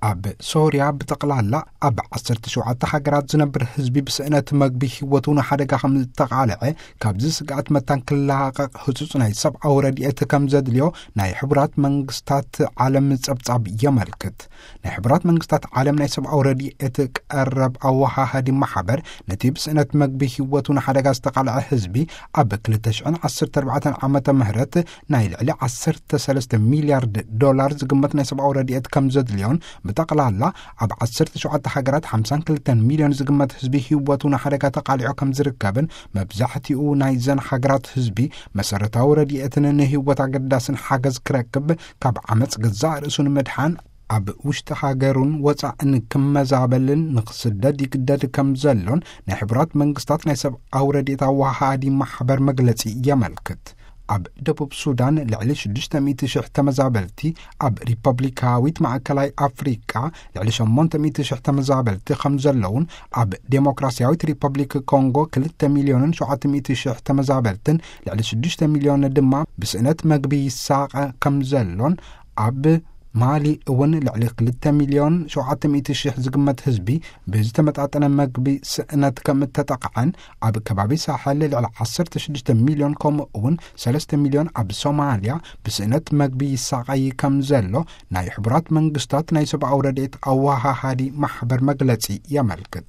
ኣብ ሶርያ ብጠቕላላ ኣብ ዓሰርተ ሸውዓተ ሃገራት ዝነብር ህዝቢ ብስእነት መግቢ ህይወቱ ንሓደጋ ከም ዝተቓልዐ፣ ካብዚ ስግኣት መታን ክላቐቕ ህጹጽ ናይ ሰብኣዊ ረድኤት ከም ዘድልዮ ናይ ሕቡራት መንግስታት ዓለም ጸብጻብ የመልክት። ናይ ሕቡራት መንግስታት ዓለም ናይ ሰብኣዊ ረድኤት ቀረብ ኣወሃሃዲ ማሕበር፣ ነቲ ብስእነት መግቢ ህይወቱ ንሓደጋ ዝተቓልዐ ህዝቢ፣ ኣብ ክልተ ሽሕን ዓሰርተ ኣርባዕተን ዓመተ ምህረት ናይ ልዕሊ ዓሰርተ ሰለስተ ሚልያርድ ዶላር ዝግመት ናይ ሰብኣዊ ረድኤት ከም ዘድልዮን፣ ብጠቕላላ ኣብ ዓሰርተ ሸውዓተ ሃገራት ሓምሳን ክልተን ሚልዮን ዝግመት ህዝቢ ህይወቱ ንሓደጋ ተቓሊዑ ከም ዝርከብን፣ መብዛሕትኡ ናይዘን ሃገራት ህዝቢ መሰረታዊ ረድኤትን ንህይወት ኣገዳስን ሓገዝ ክረክብ፣ ካብ ዓመጽ ገዛእ ርእሱ ንምድሓን፣ ኣብ ውሽጢ ሃገሩን ወጻእን ክመዛበልን ንክስደድ ይግደድ ከም ዘሎን ናይ ሕቡራት መንግስታት ናይ ሰብኣዊ ረድኤት ኣወሃሃዲ ማሕበር መግለጺ የመልክት። ኣብ ደቡብ ሱዳን ልዕሊ ሽዱሽተ ሚእቲ ሽሕ ተመዛበልቲ፣ ኣብ ሪፐብሊካዊት ማእከላይ ኣፍሪቃ ልዕሊ ሸሞንተ ሚእቲ ሽሕ ተመዛበልቲ ከም ዘለውን፣ ኣብ ዴሞክራሲያዊት ሪፐብሊክ ኮንጎ ክልተ ሚልዮንን ሸውዓተ ሚእቲ ሽሕ ተመዛበልትን ልዕሊ ሽዱሽተ ሚልዮን ድማ ብስእነት መግቢ ይሳቐ ከም ዘሎን፣ ኣብ ማሊ እውን ልዕሊ ክልተ ሚልዮን ሸውዓተ ሚእቲ ሽሕ ዝግመት ህዝቢ ብዝተመጣጠነ መግቢ ስእነት ከም እተጠቕዐን፣ ኣብ ከባቢ ሳሕል ልዕሊ ዓሰርተ ሽዱሽተ ሚልዮን፣ ከምኡ እውን ሰለስተ ሚልዮን ኣብ ሶማልያ ብስእነት መግቢ ይሳቐይ ከም ዘሎ ናይ ሕቡራት መንግስታት ናይ ሰብኣዊ ረድኤት ኣወሃሃዲ ማሕበር መግለጺ የመልክት።